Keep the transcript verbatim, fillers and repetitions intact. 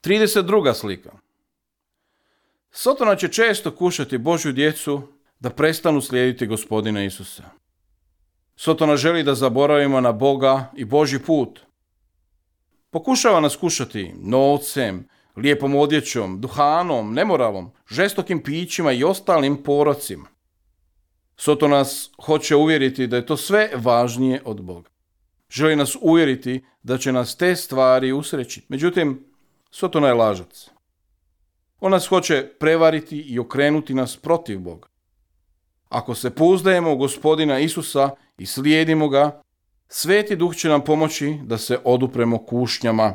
trideset druga slika. Sotona će često kušati Božju djecu da prestanu slijediti Gospodina Isusa. Sotona želi da zaboravimo na Boga i Božji put. Pokušava nas kušati novcem, lijepom odjećom, duhanom, nemoralom, žestokim pićima i ostalim porocima. Sotona nas hoće uvjeriti da je to sve važnije od Boga. Želi nas uvjeriti da će nas te stvari usrećiti. Međutim, Sotona je lažac. On nas hoće prevariti i okrenuti nas protiv Boga. Ako se pouzdajemo u Gospodina Isusa i slijedimo ga, Sveti Duh će nam pomoći da se odupremo kušnjama.